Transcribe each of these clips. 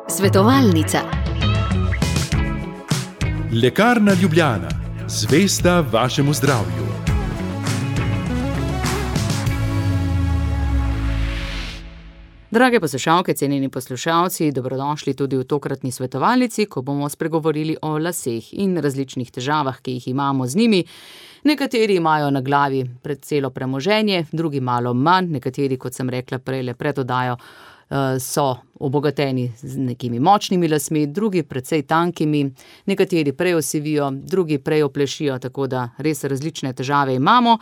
Svetovalnica. Lekarna Ljubljana, zvesta vašemu zdravju. Drage poslušalke, cenjeni poslušalci, dobrodošli tudi v tokratni svetovalnici, ko bomo spregovorili o laseh in različnih težavah, ki jih imamo z njimi. Nekateri imajo na glavi celo premoženje, drugi malo manj, nekateri, kot sem rekla prej, le pred oddajo, so obogateni z nekimi močnimi lasmi, drugi precej tankimi, nekateri prej osivijo, drugi prej oplešijo, tako da res različne težave imamo.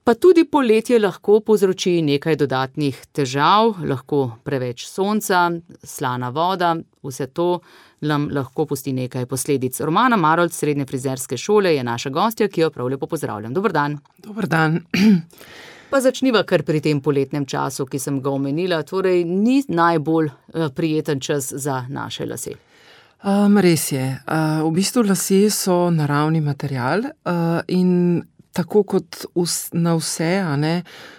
Pa tudi poletje lahko povzroči nekaj dodatnih težav, lahko preveč sonca, slana voda, vse to nam lahko pusti nekaj posledic. Romana Marolt, srednje frizerske šole, je naša gostja, ki jo prav lepo pozdravljam. Dober dan. Dober dan. Pa začniva kar pri tem poletnem času, ki sem ga omenila, torej ni najbolj prijeten čas za naše lase. Res je. V bistvu lasje so naravni material in tako kot na vse,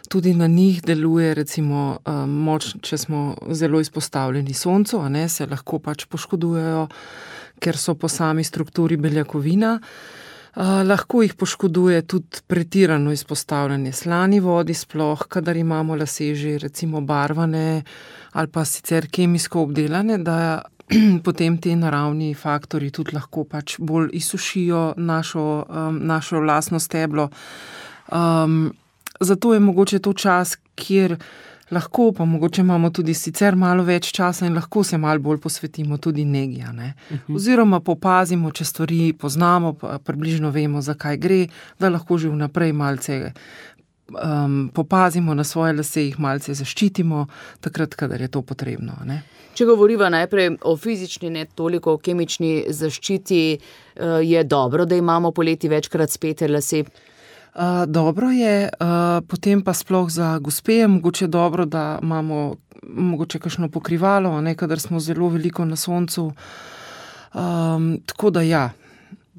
tudi na njih deluje recimo moč, če smo zelo izpostavljeni soncu, se lahko pač poškodujejo, ker so po sami strukturi beljakovina. Lahko jih poškoduje tudi pretirano izpostavljanje slani vodi, sploh kadar imamo lase že recimo barvane ali pa sicer kemijsko obdelane, da potem te naravni faktorji tudi lahko pač bolj izsušijo našo lastno steblo. Zato je mogoče to čas, kjer lahko, pa mogoče imamo tudi sicer malo več časa in lahko se malo bolj posvetimo tudi negi. Oziroma popazimo, če stvari poznamo, približno vemo, za kaj gre, da lahko že vnaprej malce popazimo na svoje lase, jih malce zaščitimo, takrat, kadar je to potrebno. Če govoriva najprej o fizični, ne toliko o kemični zaščiti, je dobro, da imamo poleti večkrat spete lase? Dobro je, potem pa sploh za gospe je mogoče dobro, da imamo mogoče kakšno pokrivalo, kadar smo zelo veliko na soncu. Tako da ja.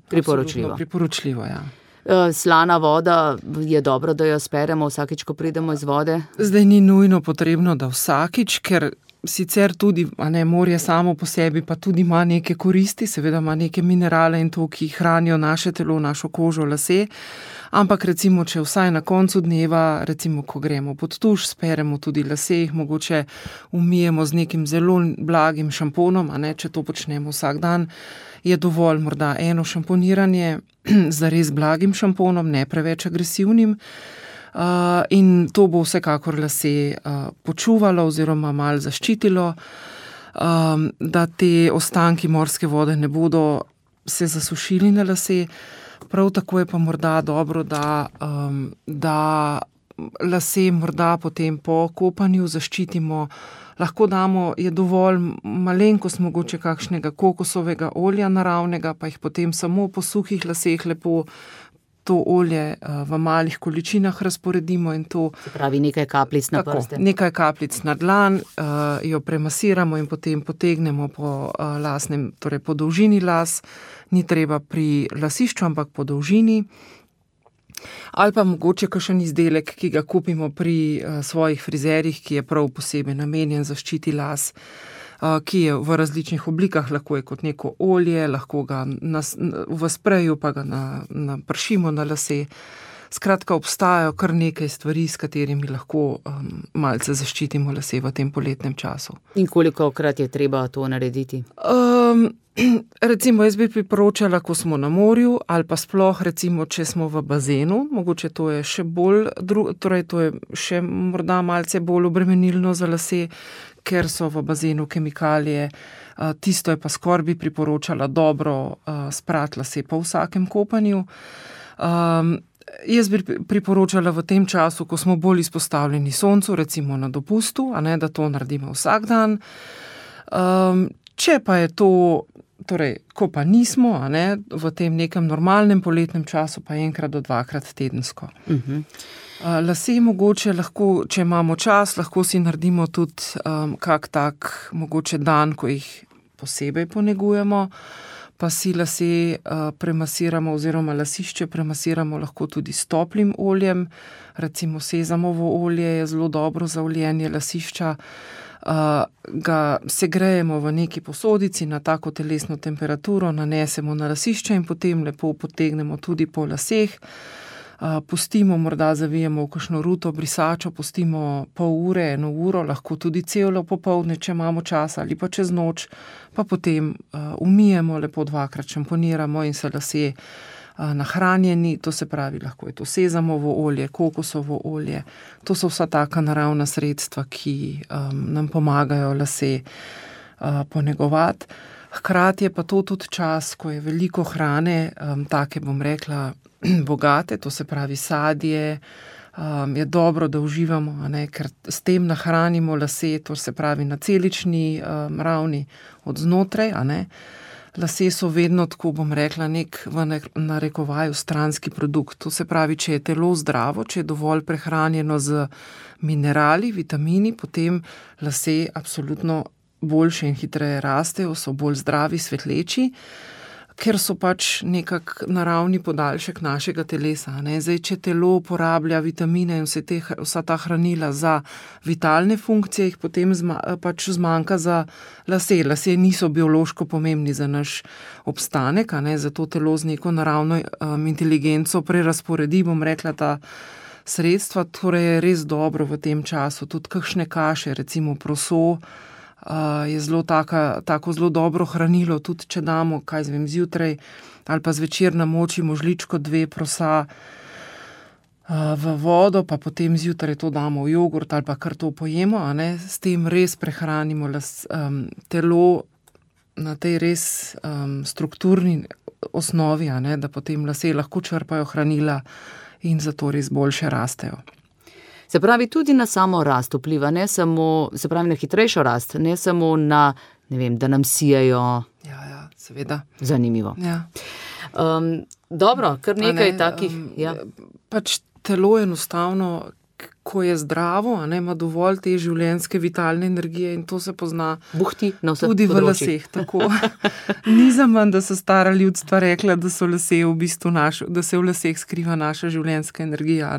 Priporočljivo, ja. Slana voda je dobro, da jo speremo vsakič, ko pridemo iz vode? Zdaj ni nujno potrebno, da vsakič, ker sicer tudi morje samo po sebi pa tudi ima neke koristi, seveda ima neke minerale in to, ki hranijo naše telo, našo kožo, lase, ampak recimo, če vsaj na koncu dneva, recimo, ko gremo pod tuš, speremo tudi lase, jih mogoče umijemo z nekim zelo blagim šamponom, če to počnemo vsak dan, je dovolj morda eno šamponiranje z res blagim šamponom, ne preveč agresivnim, in to bo vsekakor lase počuvalo oziroma malo zaščitilo, da te ostanki morske vode ne bodo se zasušili na lase. Prav tako je pa morda dobro, da lase morda potem po kopanju zaščitimo. Lahko damo, je dovolj malenkost mogoče kakšnega kokosovega olja naravnega, pa jih potem samo po suhih laseh lepo to olje v malih količinah razporedimo in to. Se pravi nekaj kapljic na prste. Nekaj kapljic na dlan, jo premasiramo in potem potegnemo po lasnem, torej po dolžini las. Ni treba pri lasišču, ampak po dolžini. Ali pa mogoče kakšen izdelek, ki ga kupimo pri svojih frizerjih, ki je prav posebej namenjen zaščiti las, ki je v različnih oblikah, lahko je kot neko olje, lahko ga v spreju pa ga napršimo na lase. Skratka, obstajajo kar nekaj stvari, s katerimi lahko malce zaščitimo lase v tem poletnem času. In kolikokrat je treba to narediti? Recimo, jaz bi priporočala, ko smo na morju, ali pa sploh, recimo, če smo v bazenu, mogoče to je še bolj, torej to je še morda malce bolj obremenilno za lase, ker so v bazenu kemikalije. Tisto je pa skoraj bi priporočala dobro sprati lase po vsakem kopanju. Jaz bi priporočala v tem času, ko smo bolj izpostavljeni soncu, recimo na dopustu, da to naredimo vsak dan. Če pa je to, torej, ko pa nismo, v tem nekem normalnem poletnem času, pa enkrat do dvakrat tedensko. Lase mogoče lahko, če imamo čas, lahko si naredimo tudi kak tak mogoče dan, ko jih posebej ponegujemo, pa si lase premasiramo oziroma lasišče premasiramo lahko tudi s toplim oljem. Recimo sezamovo olje je zelo dobro za oljenje lasišča. ga segrejemo v neki posodici na tako telesno temperaturo, nanesemo na lasišče in potem lepo potegnemo tudi po laseh. Pustimo, morda zavijemo v kakšno ruto brisačo, pustimo pol ure, 1 uro, lahko tudi celo popoldne, če imamo čas ali pa čez noč, pa potem umijemo, lepo 2-krat šamponiramo in se lasje nahranjeni, to se pravi, lahko je to sezamovo olje, kokosovo olje, to so vsa taka naravna sredstva, ki nam pomagajo lase ponegovati. Hkrati je pa to tudi čas, ko je veliko hrane, take bom rekla, bogate, to se pravi sadje, je dobro, da uživamo, ker s tem nahranimo lase, to se pravi na celični ravni od znotraj. Lase so vedno, tako bom rekla, nek v narekovaju stranski produkt. To se pravi, če je telo zdravo, če je dovolj prehranjeno z minerali, vitamini, potem lase absolutno boljše in hitreje rastejo, so bolj zdravi, svetleči, ker so pač nekak naravni podaljšek našega telesa. Zdaj, če telo uporablja vitamine in vsa ta hranila za vitalne funkcije, jih potem pač zmanjka za lase. Lase niso biološko pomembni za naš obstanek, zato telo z neko naravno inteligenco prerasporedi, bom rekla, ta sredstva, torej je res dobro v tem času. Tudi kakšne kaše, recimo proso, je tako zelo dobro hranilo, tudi če damo, zjutraj ali pa zvečer namočimo žličko 2 prosa v vodo, pa potem zjutraj to damo v jogurt ali pa kar to pojemo, s tem res prehranimo telo na tej res strukturni osnovi, da potem lase lahko črpajo hranila in zato res boljše rastejo. Se pravi, tudi na samo rast vpliva, ne samo, se pravi, na hitrejšo rast, ne samo na, da nam sijajo. Ja, seveda. Zanimivo. Ja. Dobro, kar nekaj takih. Pač telo enostavno, ko je zdravo, ima dovolj te življenjske vitalne energije in to se pozna buhti na vseh tudi v laseh. Tako. Ni zaman, da so stara ljudstva rekla, da so lase v bistvu da se v laseh skriva naša življenjska energija.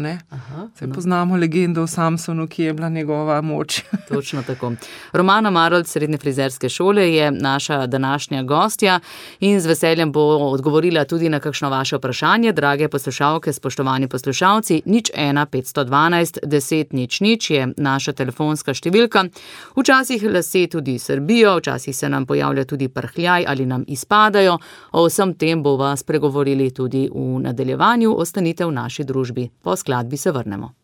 Poznamo legendo o Samsonu, ki je bila njegova moč. Točno tako. Romana Marolt, srednje frizerske šole, je naša današnja gostja in z veseljem bo odgovorila tudi na kakšno vaše vprašanje. Drage poslušalke, spoštovani poslušalci, 01 512 10 00 je naša telefonska številka. Včasih lase tudi srbijo, včasih se nam pojavlja tudi prhljaj ali nam izpadajo. O vsem tem bova spregovorili tudi v nadaljevanju. Ostanite v naši družbi. Po skladbi se vrnemo.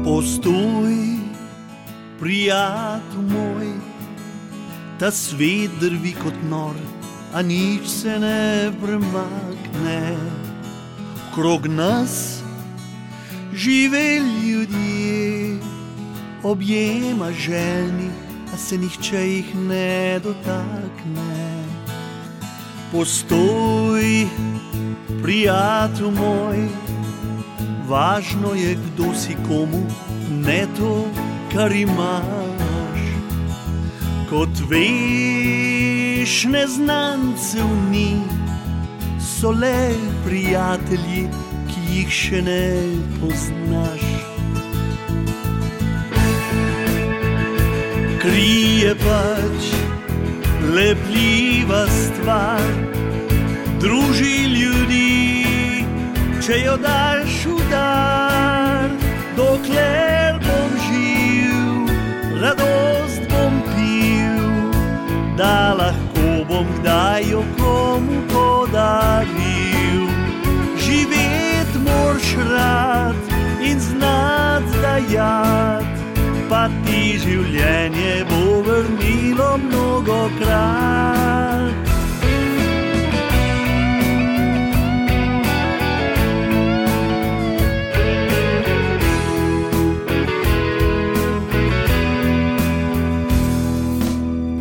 Postoj, prijatelj moj, ta svet drvi kot nor, a nič se ne premakne. Krog nas žive ljudje, objema željni, a se nihče jih ne dotakne. Postoj, prijatelj moj, važno je, kdo si komu, ne to, kar imaš. Kot veš, neznancev ni, so le prijatelji, ki jih še ne poznaš. Krije pač lepljiva stvar, druži ljudi, če jo daš v dar. Dokler bom živ, radost bom pil, da lahko bom kdaj jo komu podaril. Živet moraš rad in znat dajat, pa ti življenje bo vrnilo mnogokrat.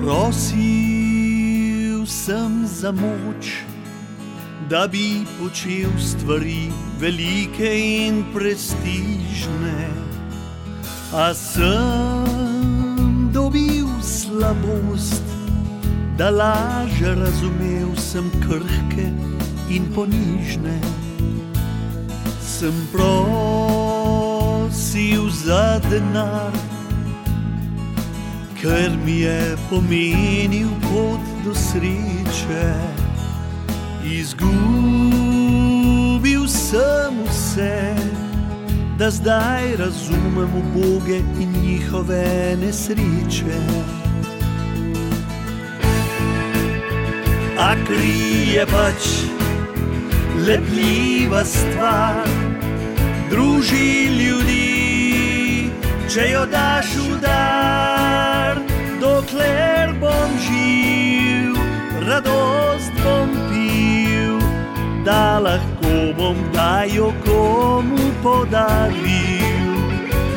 Prosil sem za moč, da bi počel stvari velike in prestižne, a sem dobil slabost, da laže razumel sem krhke in ponižne. Sem prosil za denar, ker mi je pomenil pot do sreče. Izgubil sem vse, da zdaj razumem uboge in njihove nesreče. A kri je pač lepljiva stvar, druži ljudi, če jo daš v dar. Dokler bom živ, radost bom pil, da lahko bom dajo komu podaril.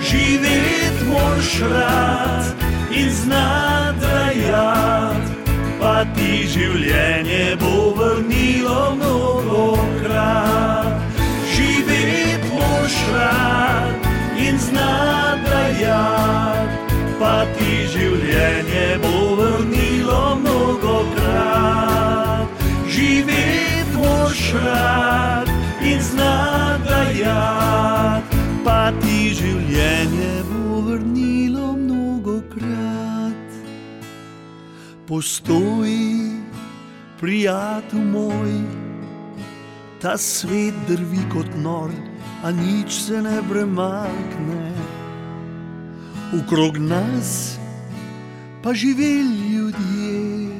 Živet moraš rad in znat dajat, pa ti življenje bo vrnilo mnogokrat. Živet moraš rad in znat dajat, pa ti življenje bo vrnilo mnogokrat. Živet moraš rad in znat dajat, pa ti življenje bo vrnilo mnogokrat. Postoji, prijatelj moj, ta svet drvi kot nor, a nič se ne premakne. Okrog nas pa živeli ljudje,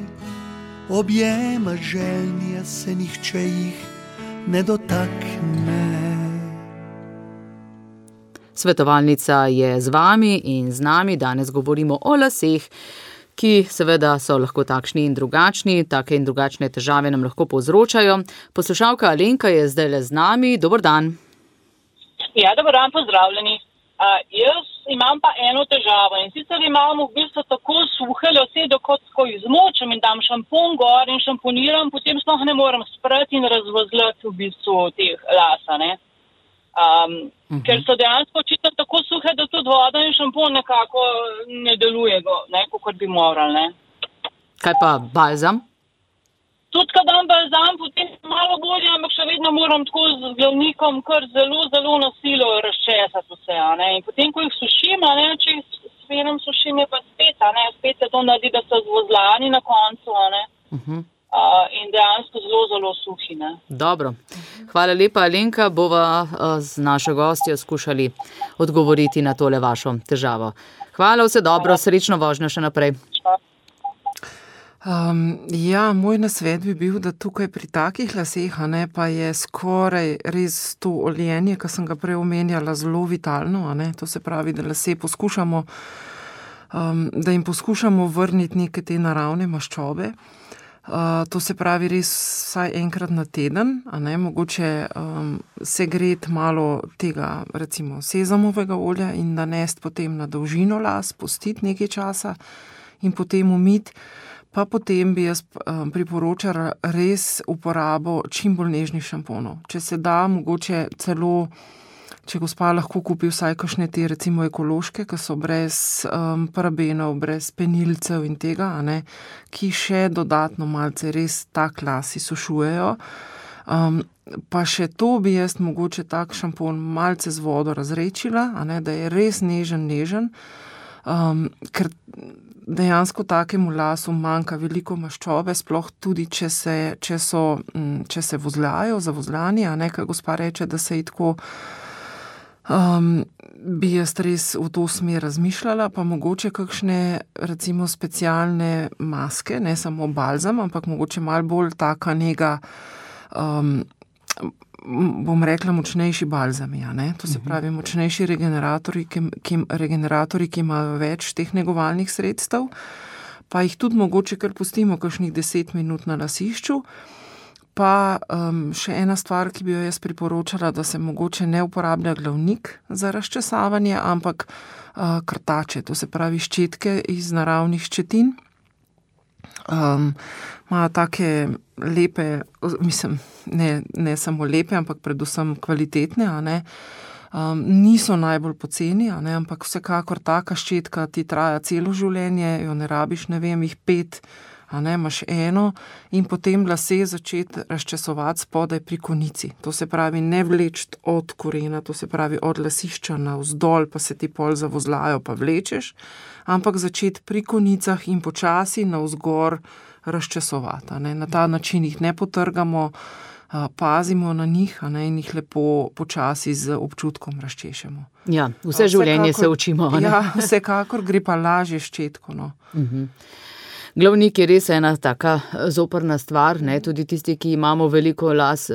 objema želnja se nihče jih ne dotakne. Svetovalnica je z vami in z nami. Danes govorimo o laseh, ki seveda so lahko takšni in drugačni, take in drugačne težave nam lahko povzročajo. Poslušalka Alenka je zdajle z nami. Dober dan. Ja, dober dan, pozdravljeni. Jaz imam pa eno težavo in sicer imam v bistvu tako suhe lase, da ko izmočem in dam šampon gor in šamponiram, potem sploh ne morem sprati in razvozlati v bistvu teh lasa, ne. Ker so dejansko očitno tako suhe, da tudi voda in šampon nekako ne deluje, ne, kot bi moral, ne. Kaj pa balzam? Tudi, kad dam balzam, potem malo bolje, ampak še vedno moram tako z glavnikom kar zelo, zelo na silo razčesati vse, ne. In potem, ko jih sušim, ne, če jih s fenom sušim, je pa spet, ne, spet se to naredi, da so zvozlani na koncu, ne. In dejansko zelo, zelo suhi, ne. Dobro. Hvala lepa, Alenka. Bova z našo gostjo skušali odgovoriti na tole vašo težavo. Hvala, vse dobro, srečno vožnjo še naprej. Ja, moj nasvet bi bil, da tukaj pri takih laseh, ne, pa je skoraj res to oljenje, ki sem ga prej omenjala, zelo vitalno, ne. To se pravi, da lase poskušamo, da jim poskušamo vrniti neke te naravne maščobe. To se pravi res vsaj enkrat na teden, a ne, mogoče segreti malo tega, recimo sezamovega olja in nanesti potem na dolžino las, pustiti nekaj časa in potem umiti. Pa potem bi jaz priporočala res uporabo čim bolj nežnih šamponov. Če se da, mogoče celo, če gospa lahko kupi vsaj kakšne te recimo ekološke, ki so brez parabenov, brez penilcev in tega, a ne, ki še dodatno malce res tak las izsušujejo. Pa še to bi jaz mogoče tak šampon malce z vodo razredčila, a ne, da je res nežen, ker dejansko takemu lasu manjka veliko maščobe, sploh tudi, če se vozljajo, zavozljani, a ne, ker gospa reče, da se ji tako, bi jaz res v to smer razmišljala, pa mogoče kakšne, recimo, specialne maske, ne samo balzam, ampak mogoče malo bolj taka nega, bom rekla, močnejši balzami, a ne? To se pravi, močnejši regeneratorji, ki imajo več teh negovalnih sredstev, pa jih tudi mogoče kar pustimo kakšnih 10 minut na lasišču. Pa še ena stvar, ki bi jo jaz priporočala, da se mogoče ne uporablja glavnik za razčesavanje, ampak krtače, to se pravi ščetke iz naravnih ščetin. Imajo take lepe, mislim, ne samo lepe, ampak predvsem kvalitetne, a ne. Niso najbolj poceni, a ne, ampak vsekakor taka ščetka ti traja celo življenje, jo ne rabiš, ne vem, jih 5 a ne, imaš eno in potem lase začeti razčesovati spodaj pri konici. To se pravi ne vleči od korena, to se pravi od lasišča navzdol, pa se ti pol zavozlajo, pa vlečeš, ampak začeti pri konicah in počasi navzgor razčesovati. Na ta način jih ne potrgamo, pazimo na njih, in jih lepo počasi z občutkom razčešemo. Ja, vse življenje se učimo. Ja, vsekakor gre pa lažje s ščetko. Glavnik je res ena taka zoprna stvar, ne, tudi tisti, ki imamo veliko las,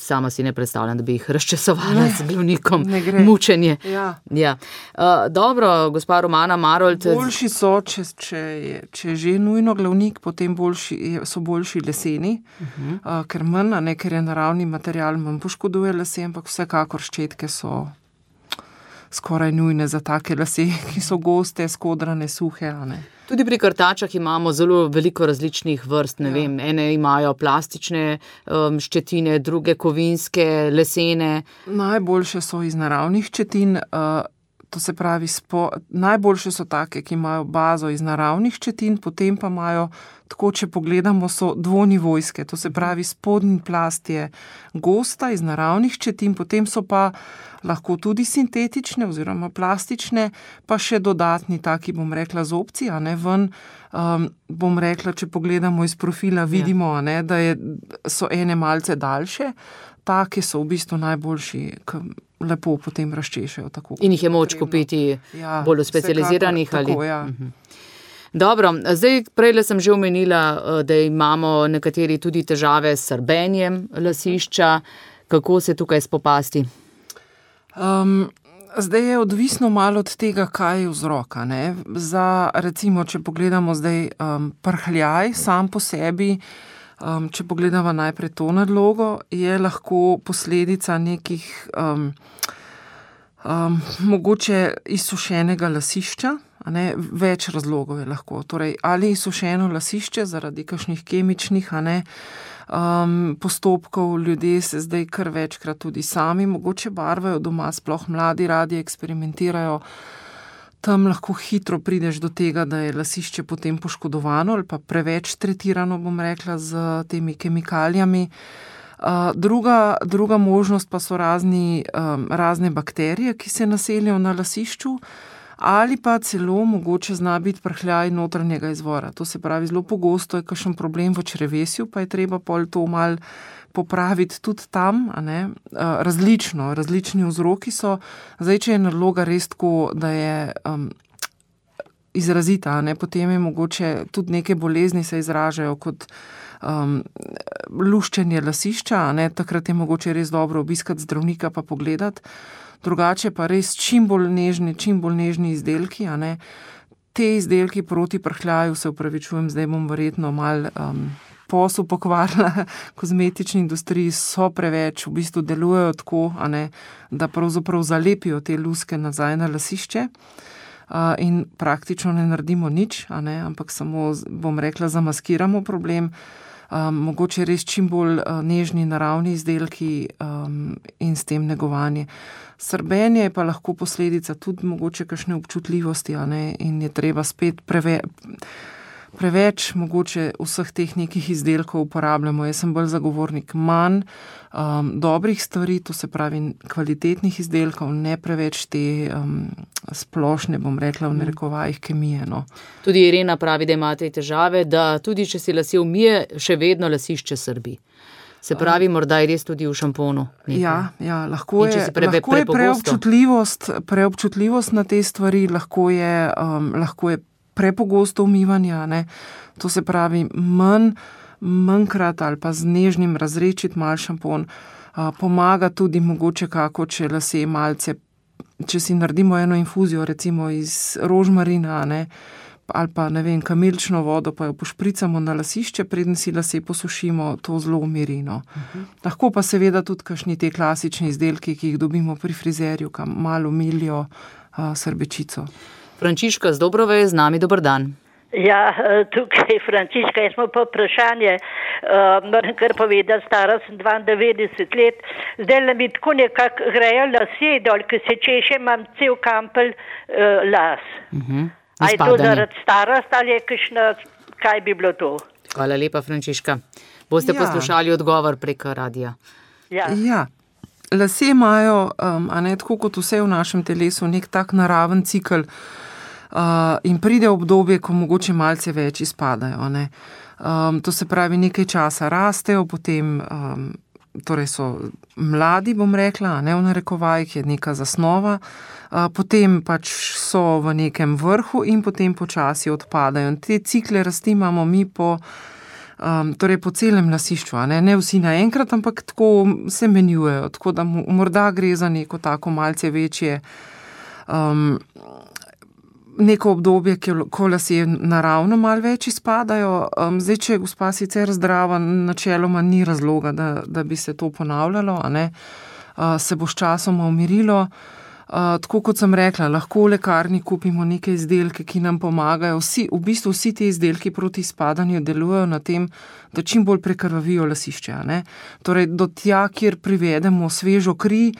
sama si ne predstavljam, da bi jih razčesovala z glavnikom. Mučenje. Ja. Dobro, gospa Romana Marolt. Boljši so, če je že nujno glavnik, potem so boljši leseni, ker manj, ker je naravni material, manj poškoduje lase, ampak vsekakor ščetke so skoraj nujne za take lase, ki so goste, skodrane, suhe. Tudi pri krtačah imamo zelo veliko različnih vrst, ne vem, ene imajo plastične ščetine, druge kovinske, lesene. Najboljše so iz naravnih ščetin, to se pravi, najboljše so take, ki imajo bazo iz naravnih ščetin, potem pa imajo, tako če pogledamo, so dvonivojske, to se pravi, spodnji plast je gosta iz naravnih ščetin, potem so pa lahko tudi sintetične oziroma plastične, pa še dodatni taki, bom rekla, zobci, ven, bom rekla, če pogledamo iz profila, vidimo, da so ene malce daljše, take so v bistvu najboljši, lepo potem razčešajo. Tako, in jih je moč kupiti bolj v specializiranih ali? Tako, ja. Dobro, zdaj prejle sem že omenila, da imamo nekateri tudi težave s srbenjem lasišča. Kako se tukaj spopasti? Zdaj je odvisno malo od tega, kaj je vzrok. Recimo, če pogledamo zdaj prhljaj sam po sebi, če pogledamo najprej to nadlogo, je lahko posledica nekih mogoče izsušenega lasišča, več razlogov je lahko. Torej, ali izsušeno lasišče zaradi kakšnih kemičnih, postopkov, ljudje se zdaj kar večkrat tudi sami mogoče barvajo doma, sploh mladi radi eksperimentirajo. Tam lahko hitro prideš do tega, da je lasišče potem poškodovano ali pa preveč tretirano, bom rekla, z temi kemikalijami. Druga možnost pa so razne bakterije, ki se naselijo na lasišču, ali pa celo mogoče zna biti prhljaj notranjega izvora. To se pravi, zelo pogosto je kakšen problem v črevesju, pa je treba pol to malo popraviti tudi tam, različni vzroki so. Zdaj, če je nadloga res tako, da je izrazita, potem je mogoče tudi neke bolezni se izražajo kot luščenje lasišča, takrat je mogoče res dobro obiskati zdravnika pa pogledati. Drugače pa res čim bolj nežni izdelki, Te izdelki proti prhljaju, se upravičujem, zdaj bom verjetno malo posel pokvarila kozmetični industriji, so preveč, v bistvu delujejo tako, da pravzaprav zalepijo te luske nazaj na lasišče in praktično ne naredimo nič, ampak samo, bom rekla, zamaskiramo problem. Mogoče res čim bolj nežni naravni izdelki in s tem negovanje. Srbenje je pa lahko posledica tudi mogoče kakšne občutljivosti, in je treba spet preveč mogoče vseh teh nekih izdelkov uporabljamo. Jaz sem bolj zagovornik manj dobrih stvari, to se pravi kvalitetnih izdelkov, ne preveč te splošne, bom rekla, v narekovajih kemije. Tudi Irena pravi, da imate težave, da tudi če si lase umije, še vedno lasišče srbi. Se pravi, morda je res tudi v šamponu. Ja, lahko je preobčutljivost na te stvari, lahko je prepogosto umivanje, to se pravi manjkrat ali pa z nežnim razredčiti malo šampon, pomaga tudi mogoče kako, če lase malce, če si naredimo eno infuzijo recimo iz rožmarina, ali pa kamilično vodo, pa jo pošpricamo na lasišče, preden si lase posušimo, to zelo umiri. Lahko pa seveda tudi kakšni te klasični izdelki, ki jih dobimo pri frizerju, kam malo umilijo srbečico. Frančiška z Dobrove je z nami, dober dan. Ja, tukaj Frančiška, jaz imam pa vprašanje, moram kar povedati, stara sem 92 let, zdaj mi tako nekako grejo lasje dol, ki se češe, imam cel kampelj las. A je to zaradi starost ali je kaj bi bilo to. Hvala lepa, Frančiška. Boste poslušali odgovor preko radija. Ja. Lasje imajo, a ne tako kot vse v našem telesu, nek tak naraven cikl in pride obdobje, ko mogoče malce več izpadajo. Ne. To se pravi, nekaj časa rastejo, potem torej so mladi, bom rekla, ne v narekovajih, je neka zasnova, potem pač so v nekem vrhu in potem počasi odpadajo. In te cikle rasti imamo mi torej po celem lasišču, ne vsi naenkrat, ampak tako se menjujejo, tako da morda gre za neko tako malce večje neko obdobje, ko lasje naravno malo več izpadajo. Zdaj, če je gospa sicer zdrava, načeloma ni razloga, da bi se to ponavljalo, se bo s časoma umirilo. Tako kot sem rekla, lahko v lekarni kupimo neke izdelke, ki nam pomagajo. V bistvu vsi ti izdelki proti izpadanju delujejo na tem, da čim bolj prekrvavijo lasišče. Torej, do tja, kjer privedemo svežo kri,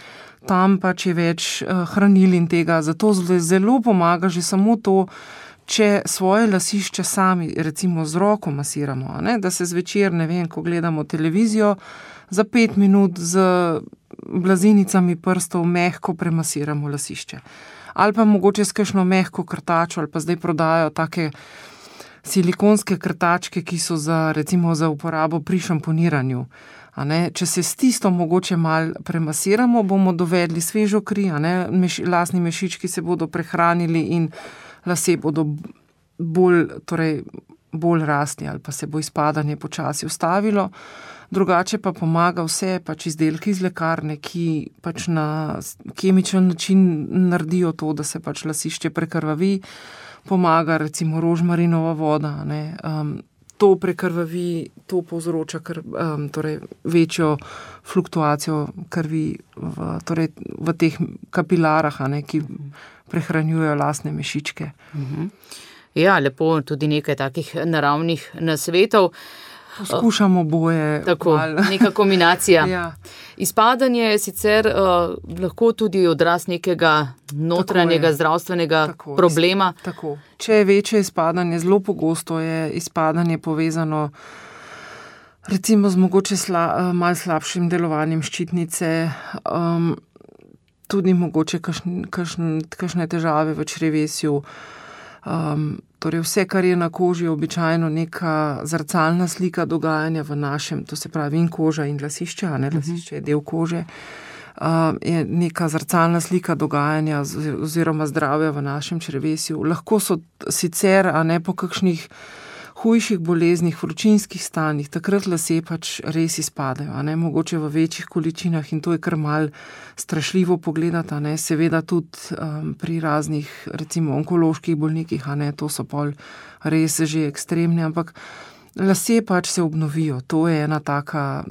tam pač je več hranil in tega. Zato zelo pomaga že samo to, če svoje lasišče sami, recimo z roko masiramo, da se zvečer, ne vem, ko gledamo televizijo, za 5 minut z blazinicami prstov mehko premasiramo lasišče. Ali pa mogoče s kakšno mehko krtačo, ali pa zdaj prodajajo take silikonske krtačke, ki so recimo za uporabo pri šamponiranju. Če se s tisto mogoče malo premasiramo, bomo dovedli svežo kri, lasni mešički se bodo prehranili in lasje bodo bolj rasli ali pa se bo izpadanje počasi ustavilo. Drugače pa pomaga vse pač izdelki iz lekarne, ki pač na kemičen način naredijo to, da se pač lasišče prekrvavi. Pomaga recimo rožmarinova voda, to prekrvavi, to povzroča torej večjo fluktuacijo krvi v teh kapilarah, ki prehranjujejo lasne mešičke. Ja, lepo, tudi nekaj takih naravnih nasvetov. Poskušamo boje. Tako, neka kombinacija. Ja. Izpadanje je sicer lahko tudi odraz nekega notranjega zdravstvenega problema. Tako. Če je večje izpadanje, zelo pogosto je izpadanje povezano recimo z mogoče malo slabšim delovanjem ščitnice, tudi mogoče kakšne težave v črevesju. Torej vse, kar je na koži, je običajno neka zrcalna slika dogajanja v našem, to se pravi in koža in lasišče, lasišče je del kože, je neka zrcalna slika dogajanja oziroma zdravja v našem črevesju. Lahko so sicer, po kakšnih hujših boleznih, vročinskih stanjih, takrat lasje pač res izpadajo, mogoče v večjih količinah in to je kar mal strašljivo pogledati, seveda tudi pri raznih, recimo onkoloških bolnikih, to so pol res že ekstremne, ampak lasje pač se obnovijo, to je ena taka,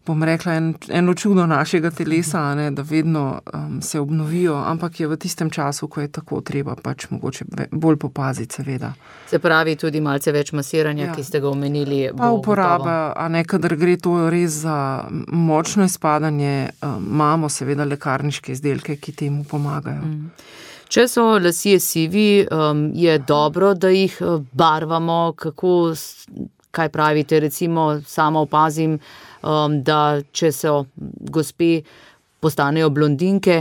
bom rekla, eno čudo našega telesa, da vedno se obnovijo, ampak je v tistem času, ko je tako treba, pač mogoče bolj popaziti, seveda. Se pravi, tudi malce več masiranja, ki ste ga omenili. Pa uporaba, kadar gre to res za močno izpadanje, imamo seveda lekarniške izdelke, ki temu pomagajo. Če so lasje sivi, je dobro, da jih barvamo, kaj pravite, recimo sama opazim, da če so gospe postanejo blondinke,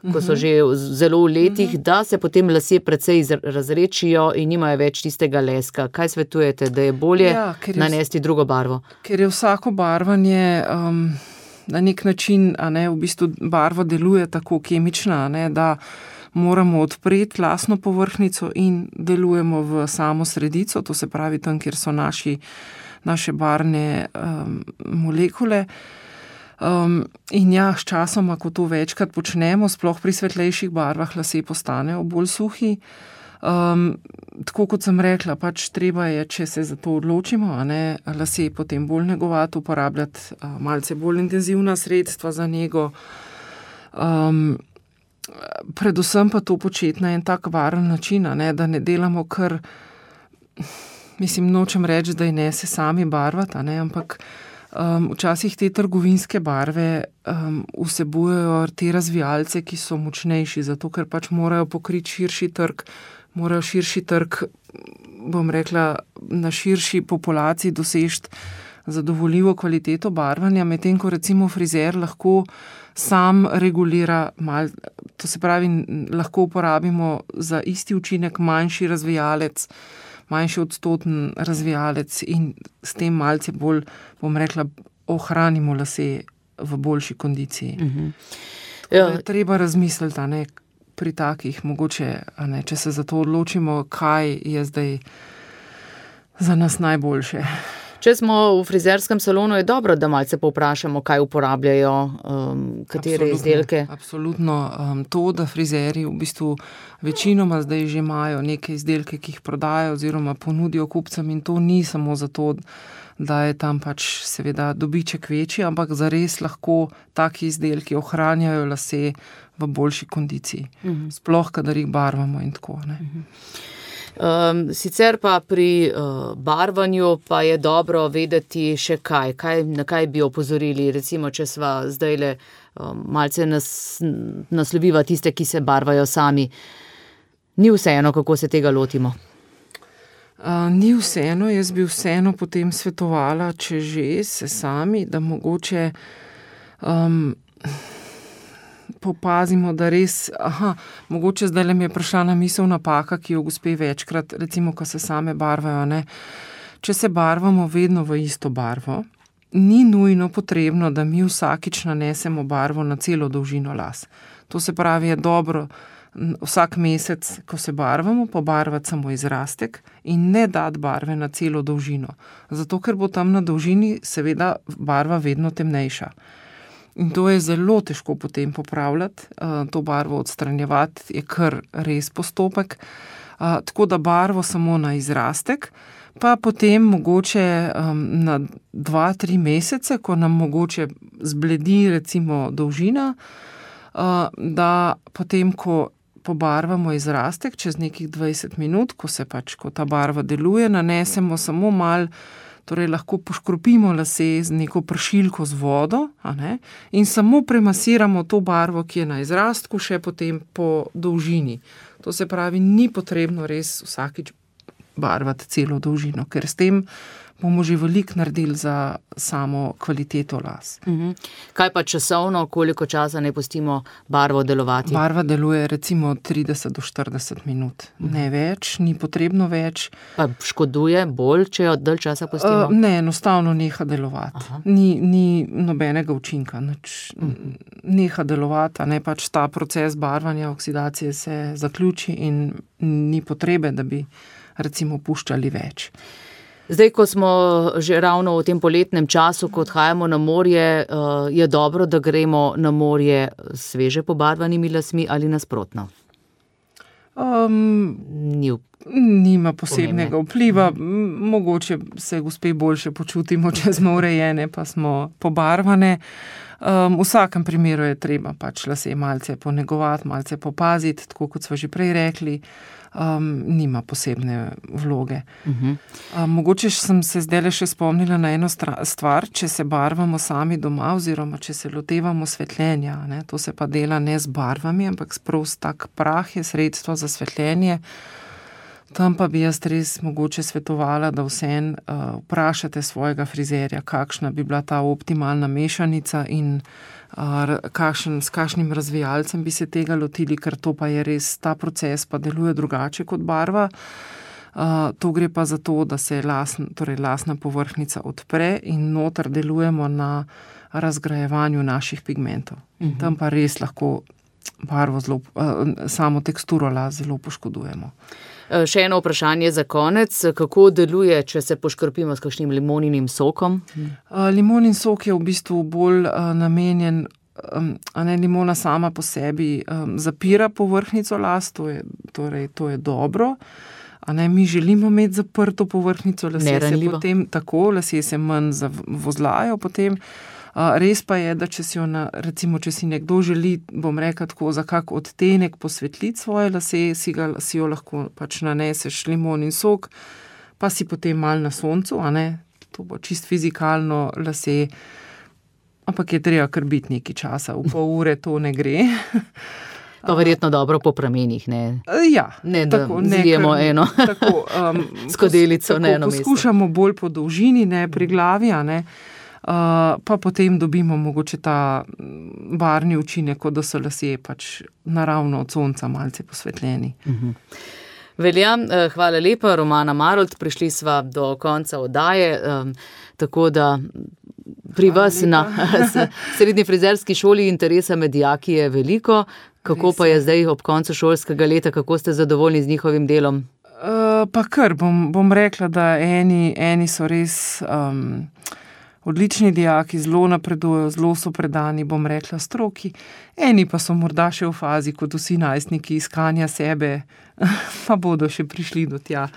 ko so že zelo v letih, da se potem lasje precej razrečijo in nimajo več tistega leska. Kaj svetujete, da je bolje nanesti drugo barvo? Ker je vsako barvanje na nek način, v bistvu barva deluje tako kemična, da moramo odpreti lasno povrhnjico in delujemo v samo sredico, to se pravi tam, kjer so naše barvne molekule. In s časoma, ko to večkrat počnemo, sploh pri svetlejših barvah, lasje postanejo bolj suhi. Tako kot sem rekla, pač treba je, če se za to odločimo, lasje potem bolj negovati, uporabljati malce bolj intenzivna sredstva za nego. Predvsem pa to početi na en tak varen način, da ne delamo kar, nočem reči, da ne se sami barvati, ampak včasih te trgovinske barve vsebujejo te razvijalce, ki so močnejši, zato ker pač morajo pokriti širši trg, morajo širši trg, bom rekla, na širši populaciji dosežiti zadovoljivo kvaliteto barvanja, medtem ko recimo frizer lahko sam regulira to se pravi, lahko uporabimo za isti učinek manjši razvijalec, manjši odstoten razvijalec in s tem malce bolj, bom rekla, ohranimo lase v boljši kondiciji. Treba razmisliti, pri takih mogoče, če se za to odločimo, kaj je zdaj za nas najboljše. Če smo v frizerskem salonu, je dobro, da malce povprašamo, kaj uporabljajo, katere izdelke. Absolutno. To, da frizerji v bistvu večinoma zdaj že imajo neke izdelke, ki jih prodajo oziroma ponudijo kupcem in to ni samo zato, da je tam pač seveda dobiček večji, ampak zares lahko taki izdelki ohranjajo lase v boljši kondiciji. Sploh, kadar jih barvamo in tako. Sicer pa pri barvanju pa je dobro vedeti še na kaj bi opozorili, recimo, če sva zdajle malce nasloviva tiste, ki se barvajo sami. Ni vseeno, kako se tega lotimo? Ni vseeno, jaz bi vseeno potem svetovala, če že se sami, da mogoče popazimo, da res, mogoče zdaj mi je prišla na misel napaka, ki jo gospe večkrat, recimo, ko se same barvajo, Če se barvamo vedno v isto barvo, ni nujno potrebno, da mi vsakič nanesemo barvo na celo dolžino las. To se pravi, je dobro vsak mesec, ko se barvamo, pobarvati samo izrastek in ne dati barve na celo dolžino. Zato, ker bo tam na dolžini seveda barva vedno temnejša. In to je zelo težko potem popravljati, to barvo odstranjevati je kar res postopek. Tako da barvo samo na izrastek, pa potem mogoče na 2-3 mesece, ko nam mogoče zbledi recimo dolžina, da potem, ko pobarvamo izrastek, čez nekih 20 minut, ko ta barva deluje, nanesemo samo malo, torej lahko poškropimo lase z neko pršilko z vodo, in samo premasiramo to barvo, ki je na izrastku, še potem po dolžini. To se pravi, ni potrebno res vsakič barvati celo dolžino, ker s tem bomo že veliko naredili za samo kvaliteto las. Kaj pa časovno, koliko časa ne pustimo barvo delovati? Barva deluje recimo 30 do 40 minut. Ne več, ni potrebno več. Pa škoduje bolj, če jo dalj časa pustimo? Ne, enostavno neha delovati. Ni nobenega učinka. Neha delovati, pač ta proces barvanja, oksidacije se zaključi in ni potrebe, da bi recimo puščali več. Zdaj, ko smo že ravno v tem poletnem času, ko odhajamo na morje, je dobro, da gremo na morje sveže pobarvanimi lasmi ali nasprotno? Nima posebnega vpliva. Mogoče se gospe boljše počutimo, če smo urejene, pa smo pobarvane. V vsakem primeru je treba pač lase malce ponegovati, malce popaziti, tako kot smo že prej rekli. Nima posebne vloge. Mogoče sem se zdajle še spomnila na eno stvar, če se barvamo sami doma oziroma če se lotevamo svetljenja. To se pa dela ne z barvami, ampak sprost tak prah je sredstvo za svetljenje. Tam pa bi jaz res mogoče svetovala, da vseeno vprašate svojega frizerja, kakšna bi bila ta optimalna mešanica in s kakšnim razvijalcem bi se tega lotili, ker to pa je res, ta proces pa deluje drugače kot barva. To gre pa za to, da se lasna povrhnjica odpre in noter delujemo na razgrajevanju naših pigmentov. Tam pa res lahko barvo samo teksturo las zelo poškodujemo. Še eno vprašanje za konec. Kako deluje, če se poškropimo s kakšnim limoninim sokom? Limonin sok je v bistvu bolj namenjen, limona sama po sebi zapira povrhnjico las, to je dobro. Mi želimo imeti zaprto povrhnjico, lasje se manj zavozlajo potem. Res pa je, da če si nekdo želi, bom rekla tako, za kak odtenek posvetliti svoje lase, si jo lahko pač naneseš limonin sok, pa si potem malo na soncu, to bo čist fizikalno lase, ampak je treba kar biti nekaj časa, v pol ure to ne gre. Pa verjetno dobro po pramenih, ne? Ja. Ne, da zlijemo eno skodelico na eno mesto. Poskušamo bolj po dolžini, ne, pri glavi, ne. Pa potem dobimo mogoče ta barvni učinek, kot da so lasje pač naravno od sonca malce posvetljeni. Velja, hvala lepa, Romana Marolt, prišli sva do konca oddaje, tako da pri vas na srednji frizerski šoli interesa med dijaki je veliko. Kako pa je zdaj ob koncu šolskega leta, kako ste zadovoljni z njihovim delom? Pa kar, bom rekla, da eni so res odlični dijaki, zelo napredujejo, zelo so predani, bom rekla, stroki. Eni pa so morda še v fazi, kot vsi najstniki, iskanja sebe, pa bodo še prišli do tja.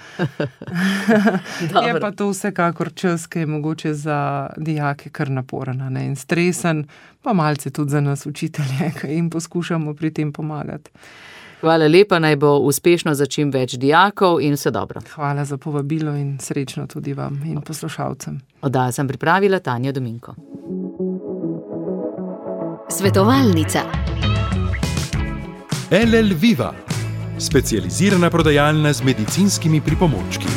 Je pa to vsekakor čas, ki je mogoče za dijake kar naporen, ne, in stresen, pa malce tudi za nas učitelje, ki jim poskušamo pri tem pomagati. Hvala lepa, naj bo uspešno za čim več dijakov in vse dobro. Hvala za povabilo in srečno tudi vam in poslušalcem. Oddajo sem pripravila Tanja Dominko. Svetovalnica. LL Viva, specializirana prodajalna z medicinskimi pripomočki.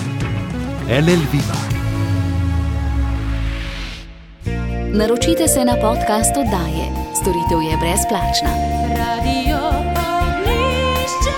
LL Viva. Naročite se na podcast oddaje. Storitev je brezplačna. Radio Ognjišče.